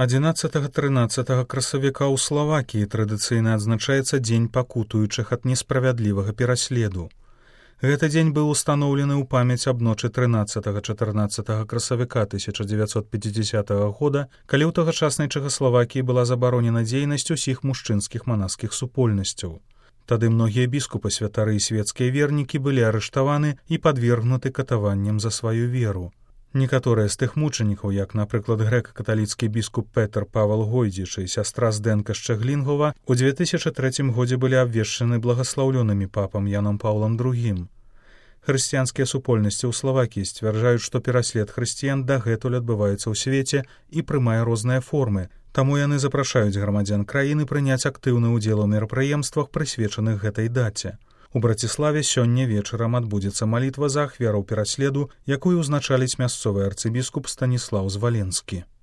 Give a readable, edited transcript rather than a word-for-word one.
11-13 красавіка ў Славакіі традыцыйна адзначаецца дзень пакутуючых ад несправядлівага пераследу. Гэты дзень быў устаноўлены ў памяць аб ночы 13-14 красавіка 1950 года, калі ў тагачаснай Чэхаславакіі была забаронена дзейнасць усіх мужчынскіх манаскіх супольнасцяў. Тады многія біскупы, святары і свецкія вернікі былі арыштаваны і падвергнуты катаванням за сваю веру. Некаторыя з тых мучанікаў, як, напрыклад, грэка-каталіцкі біскуп Петр Павел Гойдзіч і сястра Здэнка Шчэглінгова, у 2003 годзе былі абвешчаны благаслаўлёнымі папам Янам Паўлам II. Хрысціянскія супольнасці ў Славакіі сцвярджаюць, што пераслед хрысціян дагэтуль адбываецца ў свеце і прымае розныя формы, таму яны запрашаюць грамадзян краіны прыняць актыўны ўдзел у мерапрыемствах, прысвечаных гэтай даце. У Браціславе сёння вечарам адбудзецца малітва за ахвяраў пераследу, якую ўзначаліць мясцовы арцыбіскуп Станіслаў Зваленскі.